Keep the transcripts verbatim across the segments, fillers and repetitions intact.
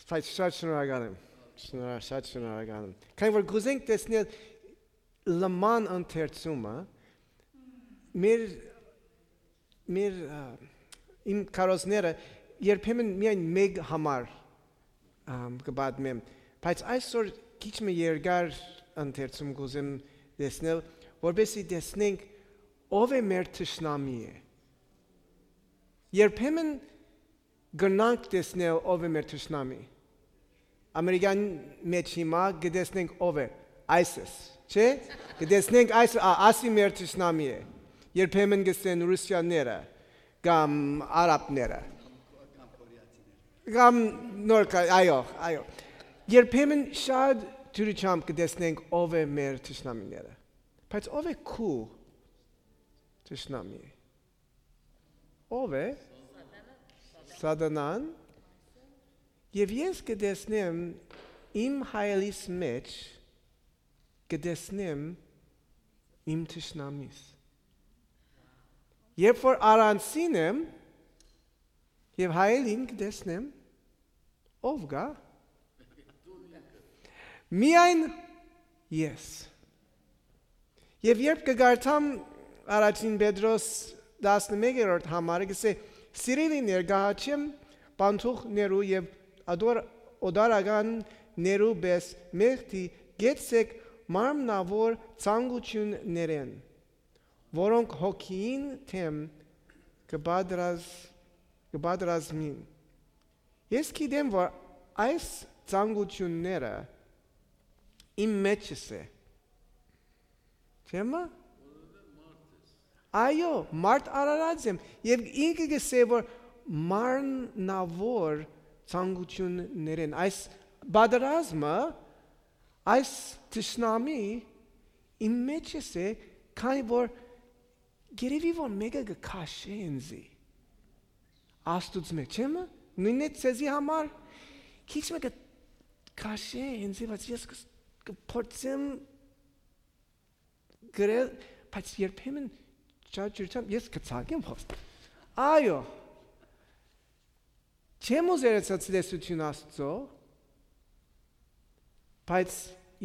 Բայց շատ շնորհակալ եմ։ Շնորհ-, շատ շնորհակալ եմ։ Քանի որ կուզենք տեսնել լման ընթերցումը, մեր, մեր, ա, իմ քարոզները երբեմն միայն մեկ համար, ամ, կը պատմեմ, բայց այսօր քիչ մը երկար ընթերցում կուզեմ տեսնել, որպեսզի տեսնենք ով է մեր թշնամի է։ Երբեմն կրնանք տեսնել ով է մեր թշնամի։ Ամերիկան մէջ հիմա կը տեսնենք ով է, ISIS, չէ՞։ Կը տեսնենք այս, ա, ասի մեր թշնամի է։ Երբեմն կսեն Ռուսիաները, կամ արաբները, կամ նոր կա-, այո, այո։ Երբեմն շատ դիւրությամբ կը տեսնենք ով է մեր թշնամիները։ Բայց ով է քու թշնամի։ Ով է։ Սատանան։ Եւ ես կը տեսնեմ իմ հայելիս մէջ, կը տեսնեմ իմ թշնամիս։ Երբ որ առանձին եմ եւ հայելին կը տեսնեմ, ով կա։ Միայն ես։ Եւ երբ կը կարդամ առաջին Պետրոս տասնմեկերորդ համարը, կսէ. «Սիրելի, ներկայացեմ պանթուխներու եւ ադոր օտարականներու պէս մեղքի, գեցեք մարմնաւոր ցանկութիւններէն, որոնք հոգիին դէմ կը պատրազ-, կը պատրազմին»։ Ես գիտեմ, որ այս ցանկութիւնները իմ մէջս է։ Չէ՞ մը։ Այո, մարդ արարած եմ, եւ ինքը կսէ, որ մարմնաւոր ցանկութիւններէն, այս պատրազմը, այս թշնամի իմ մէջս է, քանի որ երևի որ մէկը կը քաշէ ինձի Աստուծմէ, չէ՞ մը։ Նույնն է ձեզի համար, քիչ մը կը քաշէ ինձի, բայց ես կը, կը փորձեմ գրել, բայց երբեմն չաճուրչամ, ես կը ցակեմ հոս։ Այո, չեմ ուզեր ցածլեսություն Աստծո, բայց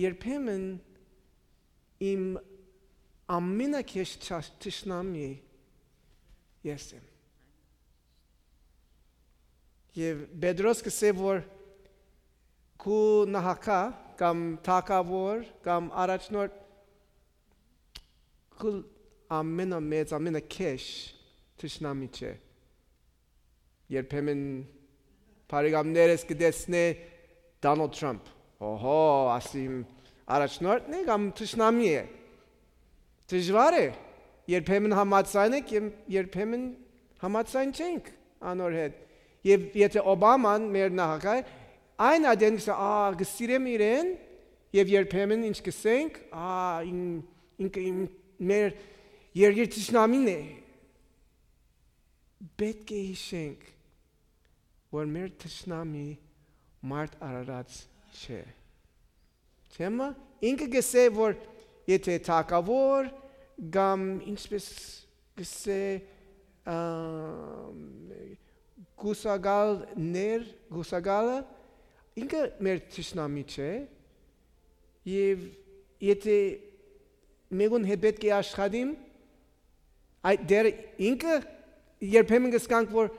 երբեմն իմ ամենակեշ չա-, թշնամի ես եմ։ Եւ Պետրոս կսէ, որ քու նահակա կամ թագաւոր կամ առաջնորդ քու ամենամեծ, ամենակեշ թշնամի չէ։ Երբեմն բարեկամներս կը տեսնէ Դոնալդ Թրամփ։ Օհո, ասիմ առաջնորդն է կամ թշնամի է։ Դժուար է։ Երբեմն համաձայն եք, եմ-, երբեմն համաձայն չենք անոր հետ։ Եւ եթե Օբաման մեր նախագահ է, այն ատեն կսա, «Ա, կսիրեմ իրեն», եւ երբեմն ինչ կսենք, «Ա, ին-, ինքը իմ, մեր երկրի թշնամին է»։ Պէտք է յիշենք, որ մեր թշնամի մարդ արարած չէ։ Չէ՞ մը, ինքը կսէ, որ եթե թագաւոր կամ, ինչպես կսէ, ամ, կուսակալներ, կուսակալը, ինքը մեր թշնամի չէ, եւ եթե մեկուն հետ պէտք է աշխատիմ, այդ դերը ինքը, երբեմն կսկանք, որ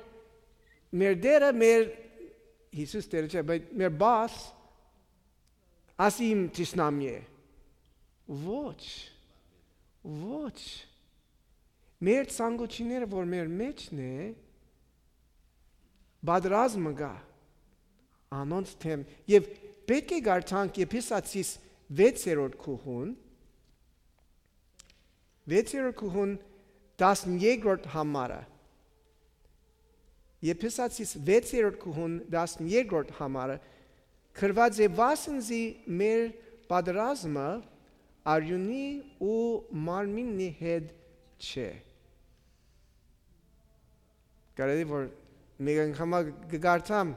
մեր դերը, մեր, Յիսուս դերը չէ, բայց մեր բաս, ասի իմ թշնամի է։ Ոչ, ոչ։ Մեր ցանկությունները, որ մեր մեջն է, պատրազմը կա անոնց դէմ։ Եւ պէտք է կարդանք Եփեսացիս վեցերորդ գլխուն, վեցերորդ գլխուն տասներկրորդ համարը։ Եփեսացիս վեցերորդ գլխուն տասներկրորդ համարը գրուած է. «Վասն զի մեր պատրազմը արիւնի ու մարմինի հետ չէ»։ Կարելի որ մեկ անգամ կը կարդամ.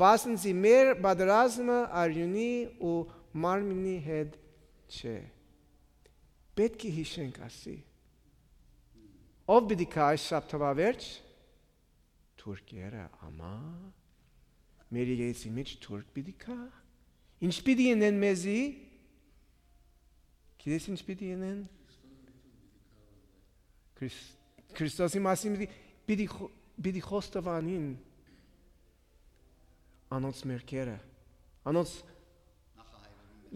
«Վասն զի մեր պատրազմը արիւնի ու մարմինի հետ չէ»։ Պէտք է յիշենք ասի։ Ո՞վ պիտի գայ այս շաբթավա վերջ։ Թուրքերը, ամա։ մեր եկեղեցի մէջ թուրք պիտի գայ։ Ինչ պիտի ընեն մեզի։ Գիտես ինչ պիտի ընեն։ Քրիս- քրիստոսի մասին պիտի պիտի, խո- պիտի խոստովանին անոնց մեղքերը, անոնց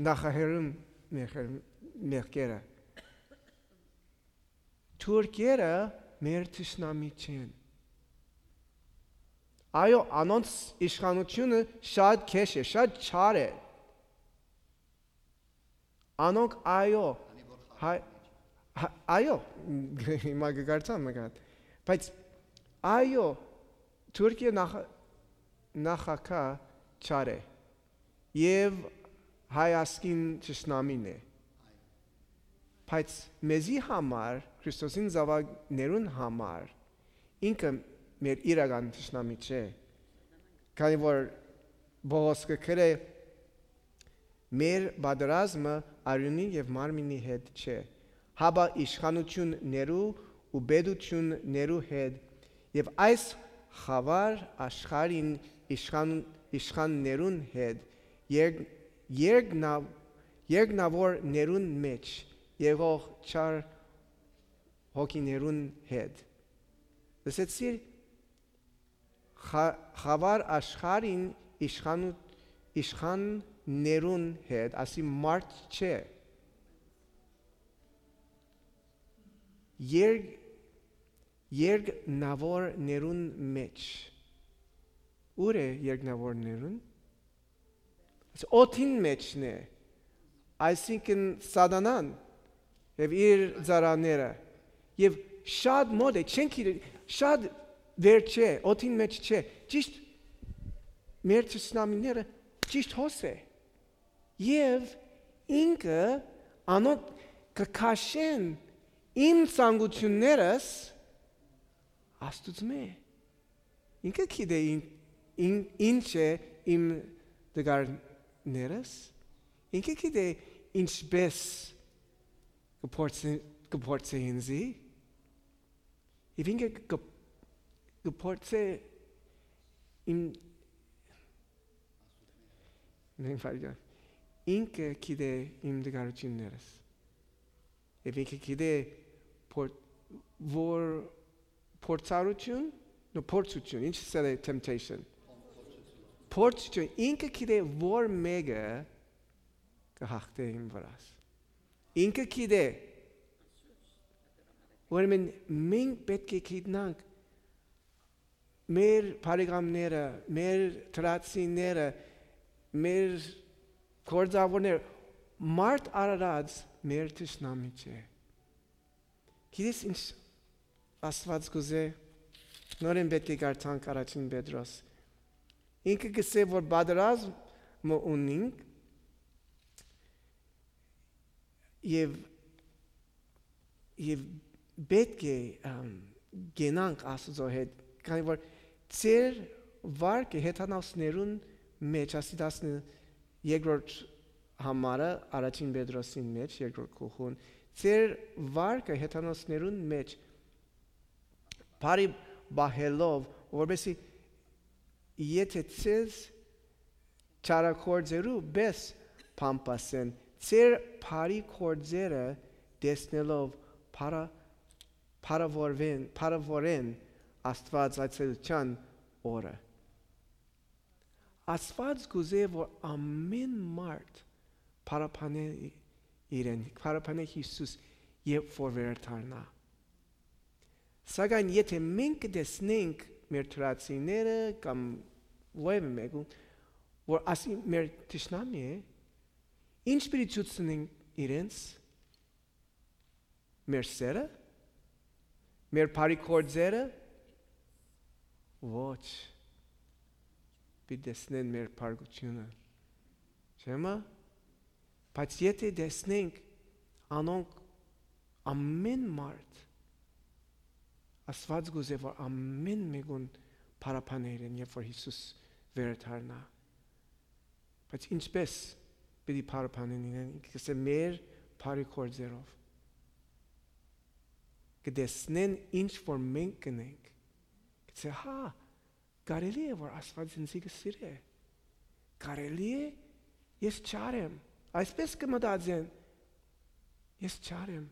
նախահայրերուն մեղքեր- մեղքերը։ Թուրքերը մեր թշնամի չեն։ Այո, անոնց իշխանությունը շատ քեշ է, շատ չար է։ Անոնք, այո, հայ- հա- այո, հիմա կկարծամ մը կատ, բայց այո, Թուրքիա նախ- նախագահ չար է եւ հայ ազգին թշնամին է, բայց մեզի համար, Քրիստոսին զաւակներուն համար, ինքը մեր իրական թշնամի չէ, քանի որ Պողոս կը գրէ. «Մեր պատերազմը արիւնի եւ մարմինի հետ չէ, հապա իշխանություններու ու պետություններու հետ եւ այս խավար աշխարհին իշխան- իշխաններուն հետ, երգ- երգնա- երգնաւորներուն մէջ եղող չար հոգիներուն հետ»։ Լսեցի՞ր, խա- խավար աշխարհին իշխան- իշխաններուն հետ, ասի մարդ չէ։ Երգ- երգնաւորներուն մէջ։ Ո՞ւր է երգնաւորներուն։ Օդին մէջն է, այսինքն Սատանան եւ իր ծառաները, եւ շատ մոտ է, չենք իրեն, շատ վեր չէ, օդին մէջ չէ, ճիշտ մեր թշնամիները, ճիշտ հոս է, եւ ինքը անոնք կը քաշեն իմ ցանկություններս Աստուծմէ։ Ինքը գիտէ ին- ին- ինչ է իմ տկարներս, ինքը գիտէ ինչպես կը փորձի- կը փորձի ինձի, եւ ինքը կը- կը փորձի իմ- Մենք վարժան։ Ինքը գիտէ իմ տկարություններս, եւ ինքը գիտէ փոր- որ փորձառություն, նո փորձություն, ինչ սել է temptation, փորձություն, ինքը գիտէ որ մէկը կը հաղթէ իմ վրաս, ինքը գիտէ։ Ուրեմն մենք պէտք է գիտնանք մեր բարեկամները, մեր դրացիները, մեր գործաւորները, մարդ արարած մեր թշնամի չէ։ Գիտես ինչ Աստուած կ'ուզէ, նորէն պէտք է կարդանք առաջին Պետրոս, ինքը կ'ըսէ որ պատերազմը ունինք եւ- եւ պէտք է կենանք Աստուծոյ հետ, քանի որ ձեր վարկը հեթանոսներուն մէջ, ասի տասն երկրորդ համարը առաջին Պետրոսին մէջ, երկրորդ գլխուն, ձեր վարկը հեթանոսներուն մէջ բարի պահելով, որպեսզի եթե ձեզ չարագործերու պէս բամբասեն, ձեր բարի գործերը տեսնելով փառ- փառաւորեն- փառաւորեն Աստուած այցելութեան օրը։ Աստուած կ'ուզէ որ ամէն մարդ փառաբանէ իրեն, փառաբանէ Յիսուս, երբ որ վերադառնայ։ Սակայն եթե մենք կը տեսնենք մեր դրացիները կամ որևէ մեկուն, որ ասի մեր թշնամի է, ինչ պիտի ցուցնենք իրենց, մեր սերը, մեր բարի գործերը, ոչ, պիտի տեսնեն մեր փառքութիւնը, չէ՞մը։ Բայց եթե տեսնենք անոնք, ամէն մարդ, Աստուած կ'ուզէ որ ամէն մեկուն փառաբանէ իրեն, երբ որ Յիսուս վերադառնայ։ Բայց ինչպես պիտի փառաբանեն իրեն, ինքը կ'ըսէ մեր բարի գործերով, կը տեսնեն ինչ որ մենք կ'ընենք, կ'ըսէ հա, կարելի է որ Աստուած ինձի կը սիրէ, Կարելի՞ է, ես չար եմ։ Այսպես կը մտածեն, ես չար եմ,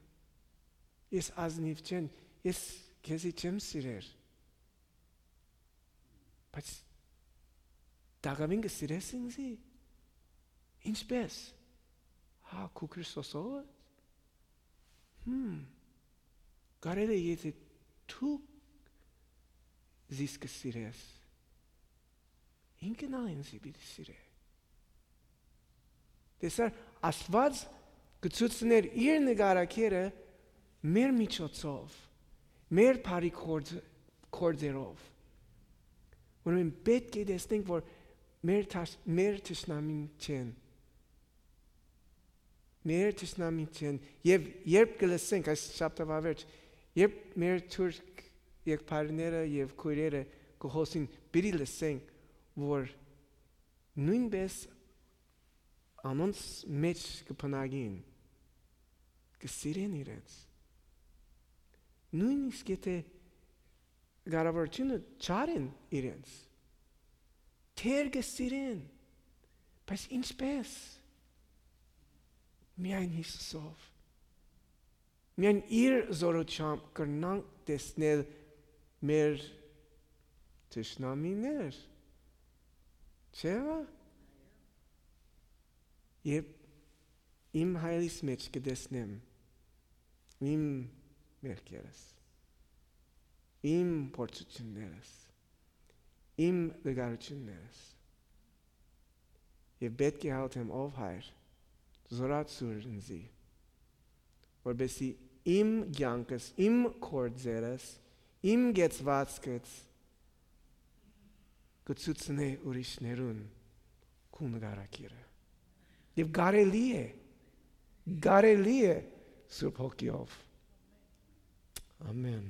ես ազնիւ չեմ, ես քեզի չեմ սիրեր։ Բայց տակաւին կը սիրես ինձի։ Ինչպես։ Հա, քու Քրիստոսովը։ Հմ, կարելի է, եթե դու զիս կը սիրես, ինքն ալ ինձի պիտի սիրէ։ Տեսա՞ր, Աստուած կը ցուցներ իր նկարագիրը մեր միջոցով, մեր բարի գործ-, գործերով։ Ուրեմն պէտք է տեսնենք, որ մեր թաշ-, մեր թշնամին չեն։ Մեր թշնամին չեն։ Եվ երբ կը լսենք այս շաբթավավերջ, երբ մեր թուրք եղբայրները եւ քոյրերը կը խօսին, պիտի լսենք, որ նոյնպէս անոնց մէջ կը բնակին, կը սիրեն իրենց։ Նոյնիսկ եթե կառավարութիւնը չարեն իրենց, թեր կը սիրեն, բայց ինչպես։ Միայն Հիսուսով։ Միայն իր զօրութեամբ կրնանք տեսնել մեր թշնամիներ, չէ՞ վա։ Երբ իմ հայրիս մէջ կը տեսնեմ իմ մեղքերս, իմ փորձութիւններս, իմ տկարութիւններս, եւ պէտք է հալթեմ, ով Հայր, զօրացուր ինձի, որպեսզի իմ կեանքս, իմ գործերս, իմ կեցուածքս կը ցուցնէ ուրիշներուն քու նկարագիրը։ Եւ կարելի է, կարելի է Սուրբ Հոգիով։ Ամեն։